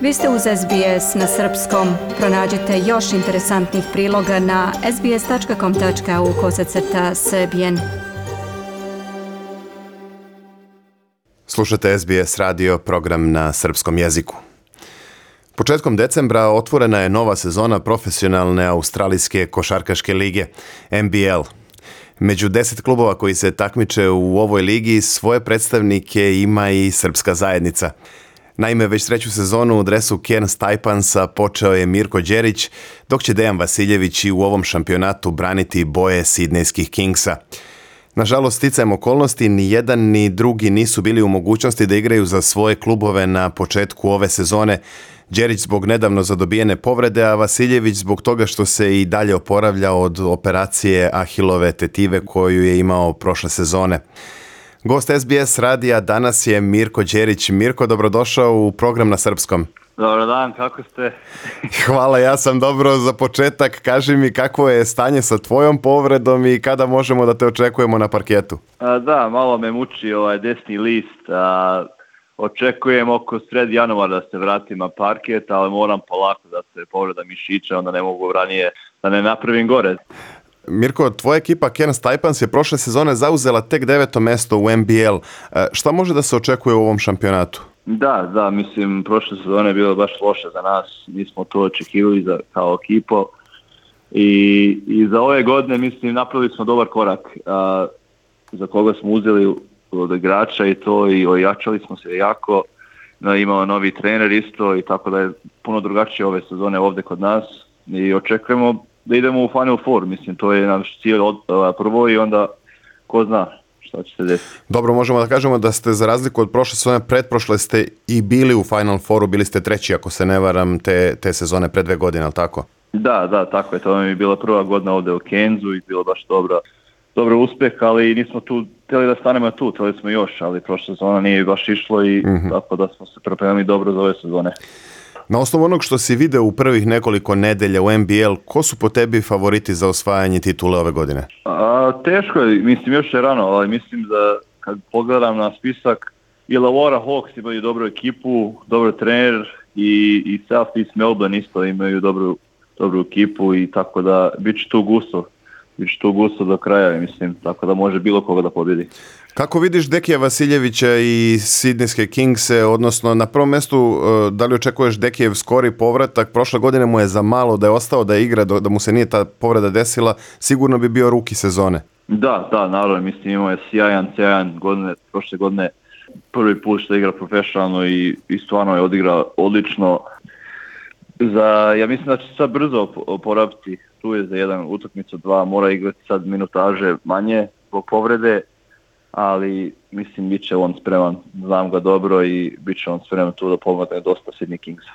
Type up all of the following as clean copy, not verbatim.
Vi ste uz SBS na srpskom. Pronađite još interesantnih priloga na sbs.com.au/srbijen. Slušate SBS radio, program na srpskom jeziku. Početkom decembra otvorena je nova sezona profesionalne australijske košarkaške lige, NBL. Među 10 klubova koji se takmiče u ovoj ligi svoje predstavnike ima i srpska zajednica. Naime, već treću sezonu u dresu Cairns Taipansa počeo je Mirko Đerić, dok će Dejan Vasiljević i u ovom šampionatu braniti boje Sidnejskih Kingsa. Nažalost, sticajem okolnosti, ni jedan ni drugi nisu bili u mogućnosti da igraju za svoje klubove na početku ove sezone. Đerić zbog nedavno zadobijene povrede, a Vasiljević zbog toga što se i dalje oporavlja od operacije Ahilove tetive koju je imao prošle sezone. Gost SBS radija danas je Mirko Đerić. Mirko, dobrodošao u program na srpskom. Dobar dan, kako ste? Hvala, ja sam dobro. Za početak, kaži mi kakvo je stanje sa tvojom povredom i kada možemo da te očekujemo na parketu? Da, malo me muči ovaj desni list. Očekujem oko sred januara da se vratim na parket, ali moram polako da se povreda mišića, onda ne mogu ranije da ne napravim gore. Mirko, tvoja ekipa Cairns Taipans je prošle sezone zauzela tek 9. mesto u NBL. Šta može da se očekuje u ovom šampionatu? Da, mislim, prošle sezone je bilo baš loše za nas. Nismo to očekivali kao ekipo. I za ove godine, mislim, napravili smo dobar korak za koga smo uzeli od igrača i to, i ojačali smo se jako. Imao novi trener isto i tako da je puno drugačije ove sezone ovdje kod nas. I očekujemo da idemo u Final Four, mislim, to je naš cilj prvo i onda ko zna šta će se desiti. Dobro, možemo da kažemo da ste za razliku od prošle sezone, pretprošle ste i bili u Final Fouru, bili ste treći, ako se ne varam, te sezone pre 2 godine, ali tako? Da, tako je, to mi je bila prva godina ovdje u Cairnsu i bilo baš dobar uspjeh, ali nismo tu htjeli da stanemo tu, htjeli smo još, ali prošla sezona nije baš išlo i tako da smo se pripremili dobro za ove sezone. Na osnovu onog što si video u prvih nekoliko nedelja u NBL, ko su po tebi favoriti za osvajanje titule ove godine? Teško je, mislim još je rano, ali mislim da kad pogledam na spisak, Illawarra Hawks imaju dobru ekipu, dobar trener i South East Melbourne isto imaju dobru ekipu i tako da bit će tu gusto do kraja, mislim, tako da može bilo koga da pobjedi. Kako vidiš Dekija Vasiljevića i Sidnejske Kingse, odnosno na prvom mjestu, da li očekuješ Dekijev skori povratak? Prošle godine mu je za malo da je ostao da igra, da mu se nije ta povreda desila, sigurno bi bio ruki sezone. Da, naravno, mislim, imao je sjajan godine, prošle godine prvi put što igra profesionalno i stvarno je odigrao odlično. Ja mislim da će sad brzo oporaviti, tu je za jedan utakmicu 2, mora igrati sad minutaže manje zbog povrede, ali mislim bit će on spreman, znam ga dobro i bit će on spreman tu da pomogne dosta Sydney Kingsa.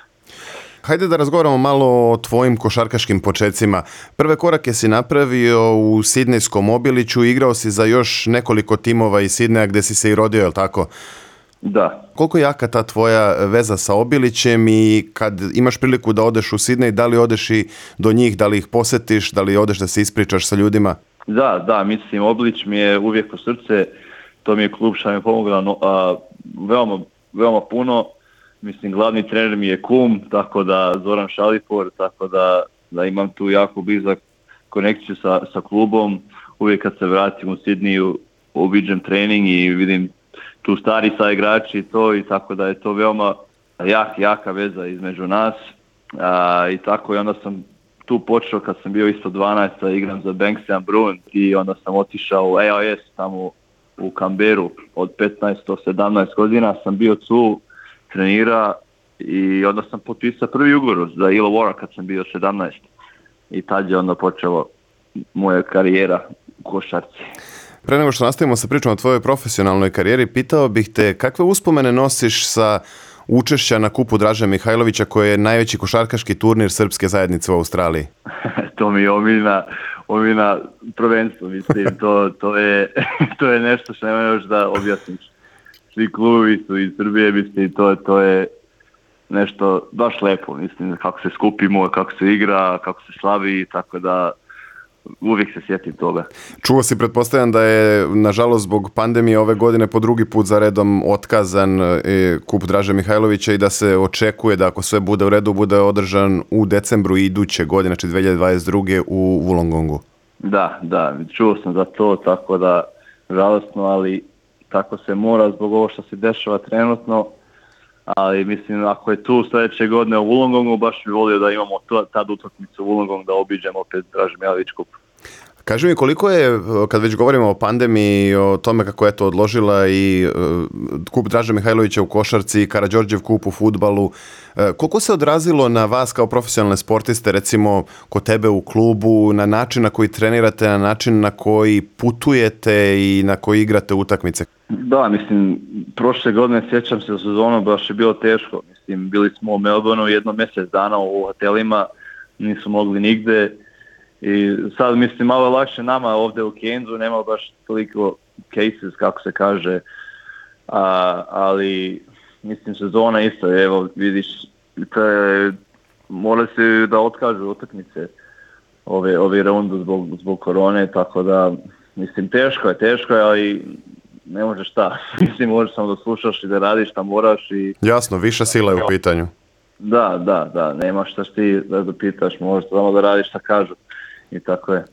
Hajde da razgovaramo malo o tvojim košarkaškim počecima. Prve korake si napravio u Sidnejskom Obiliću, igrao si za još nekoliko timova iz Sidneja gdje si se i rodio, je li tako? Da. Koliko je jaka ta tvoja veza sa Obilićem i kad imaš priliku da odeš u Sidnej, da li odeš i do njih, da li ih posjetiš, da li odeš da se ispričaš sa ljudima? Da, mislim, Obilić mi je uvijek u srce, to mi je klub što mi je pomogla veoma puno, mislim, glavni trener mi je kum, tako da Zoran Šalipor, tako da imam tu jako blizak konekciju sa klubom, uvijek kad se vratim u Sidniju, obiđem trening i vidim tu stari sa igrači i to, i tako da je to veoma jaka veza između nas, i tako, i onda sam tu počeo kad sam bio isto 12, igram za Banksia Bruin i onda sam otišao u AIS tamo u Canberru od 15 do 17 godina sam bio tu, trenira i onda sam potpisao prvi ugovor za Illawarra kad sam bio 17 i tad je onda počela moja karijera u košarci. Pre nego što nastavimo sa pričom o tvojoj profesionalnoj karijeri, pitao bih te kakve uspomene nosiš sa učešća na kupu Draže Mihajlovića koji je najveći košarkaški turnir srpske zajednice u Australiji? To mi je omiljena prvenstvo, mislim, to je nešto što nema još da objasniš. Svi klubovi su iz Srbije, mislim, to je nešto baš lepo, mislim, kako se skupimo, kako se igra, kako se slavi, tako da uvijek se sjetim toga. Čuo si, pretpostavljam da je, nažalost, zbog pandemije ove godine po drugi put za redom otkazan kup Draže Mihajlovića i da se očekuje da ako sve bude u redu, bude održan u decembru iduće godine, znači 2022. u Wollongongu. Da, čuo sam za to, tako da žalostno, ali tako se mora zbog ovo što se dešava trenutno, ali mislim ako je tu sljedeće godine u Wollongongu, baš bi volio da imamo tad utakmicu u Wollongong da obiđemo opet Draže Mihajlović kup. Kaži mi, koliko je, kad već govorimo o pandemiji i o tome kako je to odložila i kup Draže Mihajlovića u košarci i Karađorđev kup u fudbalu, koliko se odrazilo na vas kao profesionalne sportiste, recimo kod tebe u klubu, na način na koji trenirate, na način na koji putujete i na koji igrate utakmice? Da, mislim, prošle godine sjećam se u sezonu, baš je bilo teško. Mislim, bili smo u Melbourneu jedno mjesec dana u hotelima, nisu mogli nigde. I sad mislim malo je lakše nama ovdje u Cairnsu, nema baš toliko cases kako se kaže, ali mislim sezona isto, evo vidiš, mora se da otkažu utakmice ove rundu zbog korone, tako da mislim teško je, ali ne možeš šta, mislim možeš samo da slušaš i da radiš šta moraš. Jasno, viša sila je u pitanju. Da, nema šta ti da pitaš, možeš samo da radiš šta kažu. I tako je.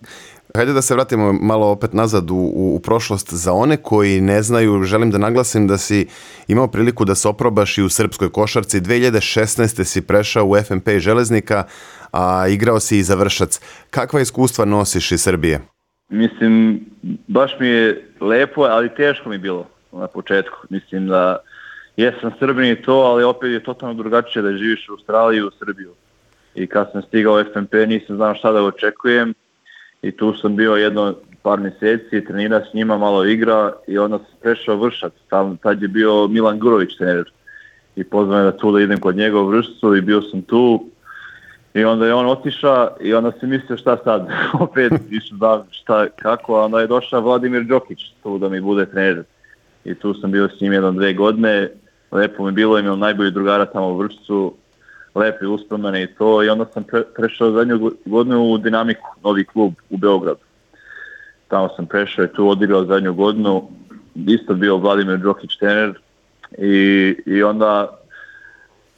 Hajde da se vratimo malo opet nazad u prošlost. Za one koji ne znaju, želim da naglasim da si imao priliku da se oprobaš i u srpskoj košarci. 2016. si prešao u FNP Železnika, a igrao si i za Vršac. Kakva iskustva nosiš iz Srbije? Mislim, baš mi je lepo, ali teško mi je bilo na početku. Mislim da jesam Srbin i to, ali opet je totalno drugačije da živiš u Australiji i u Srbiju. I kad sam stigao u FNP nisam znao šta da očekujem i tu sam bio jedno par mjeseci, trenirao s njima, malo igra i onda sam prešao Vršac. Tad je bio Milan Gurović trener i pozvao me da tu da idem kod njega u Vršcu i bio sam tu i onda je on otišao i onda sam mislio šta sad, opet išao da šta kako, a onda je došao Vladimir Đokić tu da mi bude trener i tu sam bio s njim 1-2 godine, lepo mi bilo, imao najbolji drugara tamo u Vršcu, lepe uspomene i to i onda sam prešao zadnju godinu u Dinamiku, novi klub u Beogradu. Tamo sam prešao i tu odigrao zadnju godinu, isto bio Vladimir Đokić trener i onda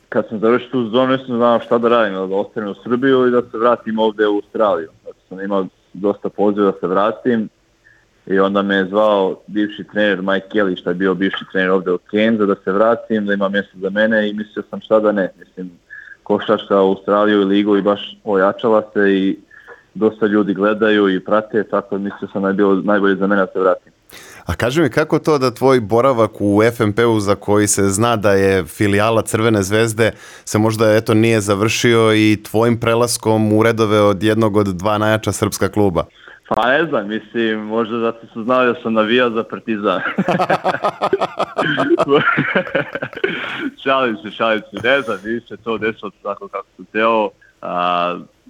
kad sam završio tu sezonu nisam znao šta da radim, da ostanem u Srbiju i da se vratim ovdje u Australiju. Zato sam imao dosta poziva da se vratim i onda me je zvao bivši trener Mike Kelly, što je bio bivši trener ovdje u Cairnsu, da se vratim, da ima mjesto za mene i mislio sam šta da ne. Mislim, košarka u Australiju i ligu i baš ojačala se i dosta ljudi gledaju i prate, tako mislio sam da je bilo najbolje za mene da se vratim. A kaži mi, kako to da tvoj boravak u FNP-u, za koji se zna da je filijala Crvene zvezde, se možda nije završio i tvojim prelaskom u redove od jednog od dva najjača srpska kluba? Pa ne znam, mislim, možda zato su znali da sam navijao za Partizan. Šalim se, ne znam, više to desilo tako kako sam teo.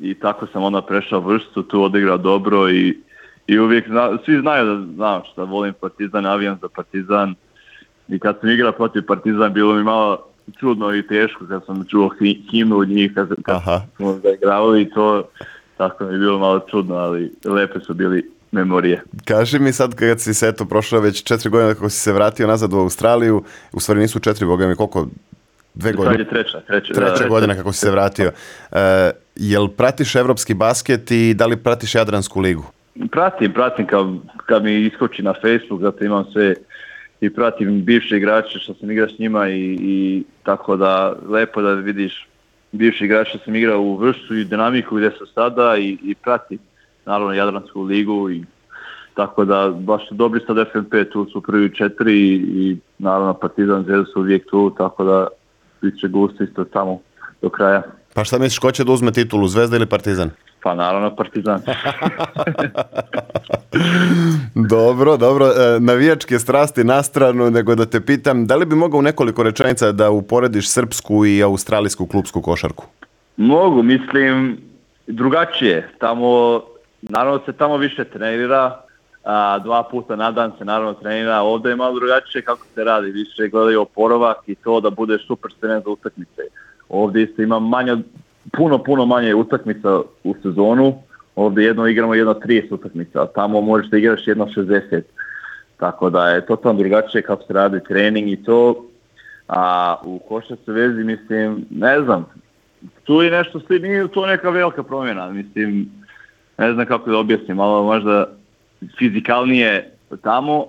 I tako sam onda prešao Vršcu, tu odigrao dobro i uvijek svi znaju da znam šta volim Partizan, navijam za Partizan. I kad sam igrao protiv Partizan, bilo mi malo čudno i teško kad sam čuo himnu od njih, kad smo zaigravali i to. Tako mi je bilo malo čudno, ali lepe su bili memorije. Kaži mi sad kad si se prošlo već 4 godine kako si se vratio nazad u Australiju, u stvari nisu 4, boga mi, koliko? 2 godine? Treća godina kako si se vratio. Jel pratiš evropski basket i da li pratiš Jadransku ligu? Pratim kad mi iskoči na Facebook, zato imam sve i pratim bivše igrače što sam igrao s njima i tako da lepo da vidiš bivši igrač što sam igrao u Vršcu i Dinamiku gdje su sada i pratim naravno Jadransku ligu i tako da baš su dobri sad FNP, tu su prvi 4 i naravno Partizan, Zvezda su uvijek tu, tako da bit će gusto isto tamo do kraja. Pa šta misliš, ko će da uzme titulu, Zvezda ili Partizan? Pa naravno Partizan. Dobro. Navijačke strasti na stranu, nego da te pitam, da li bi mogao u nekoliko rečenica da uporediš srpsku i australijsku klupsku košarku? Mogu, mislim, drugačije. Naravno se tamo više trenira, 2 puta na dan se naravno trenira, ovdje je malo drugačije kako se radi, više gledaju oporavak i to da bude super spreman za utakmice. Ovdje isto ima puno manje utakmica u sezonu, ovdje jedno igramo 30 utakmica, a tamo možeš da igraš 60. Tako da je totalno drugačije kako se radi trening i to. A u košarci vezi, mislim, ne znam, tu je nešto, nije to neka velika promjena, mislim, ne znam kako da objasnim, malo možda fizikalnije tamo,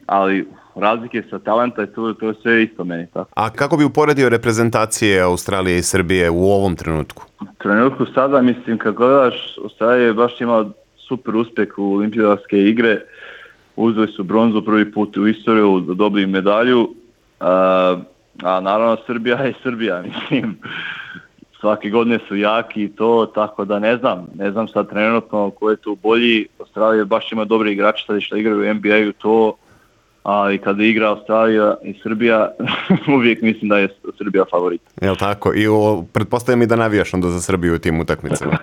ali razlike sa talenta je to je sve isto meni. Tako. A kako bi uporedio reprezentacije Australije i Srbije u ovom trenutku? U trenutku sada, mislim, kad gledaš, Australija je baš imala super uspjeh u olimpijske igre, uzeli su bronzu prvi put u istoriju, dobili medalju, a naravno Srbija je Srbija, mislim, svake godine su jaki i to, tako da ne znam sad trenutno ko je tu bolji. Australija baš ima dobri igrači sad što igraju u NBA-u to, ali kada igra Australija i Srbija, uvijek mislim da je Srbija favorit. Jel tako? I pretpostavljam i da navijaš onda za Srbiju u tim utakmicama.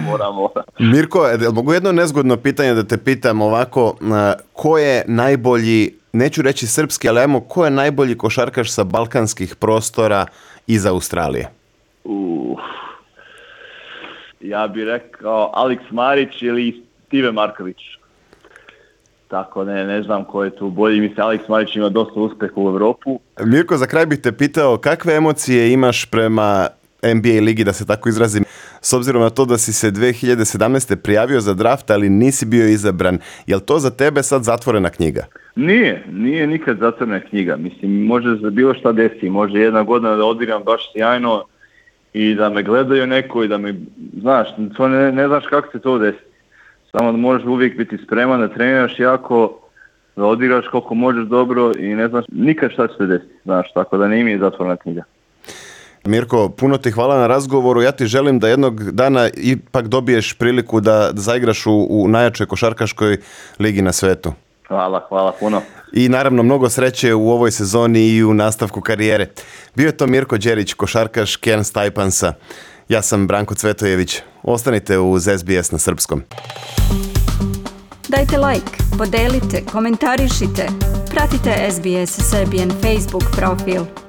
Moram. Mirko, mogu jedno nezgodno pitanje da te pitam ovako, ko je najbolji, neću reći srpski, ali ajmo, ko je najbolji košarkaš sa balkanskih prostora iz Australije? Ja bih rekao Alex Marić ili Steve Marković. Tako ne znam ko je tu bolji. Mislim, Alex Marić ima dosta uspjeha u Europu. Mirko, za kraj bih te pitao kakve emocije imaš prema NBA ligi, da se tako izrazim, s obzirom na to da si se 2017. prijavio za draft, ali nisi bio izabran. Je li to za tebe sad zatvorena knjiga? Nije nikad zatvorena knjiga. Mislim, može za bilo šta desi. Može jedna godina da odigram baš sjajno i da me gledaju neko i da me, znaš, to ne znaš kako se to desi. Samo da možeš uvijek biti spreman, da treniraš jako, da odigraš koliko možeš dobro i ne znaš nikad šta će se desiti, znaš, tako da nije mi zatvorena knjiga. Mirko, puno ti hvala na razgovoru. Ja ti želim da jednog dana ipak dobiješ priliku da zaigraš u najjačoj košarkaškoj ligi na svetu. Hvala puno. I naravno mnogo sreće u ovoj sezoni i u nastavku karijere. Bio je to Mirko Đerić, košarkaš Cairns Taipansa. Ja sam Branko Cvetojević. Ostanite uz SBS na srpskom. Dajte like, podelite, komentarišite. Pratite SBS Serbian Facebook profil.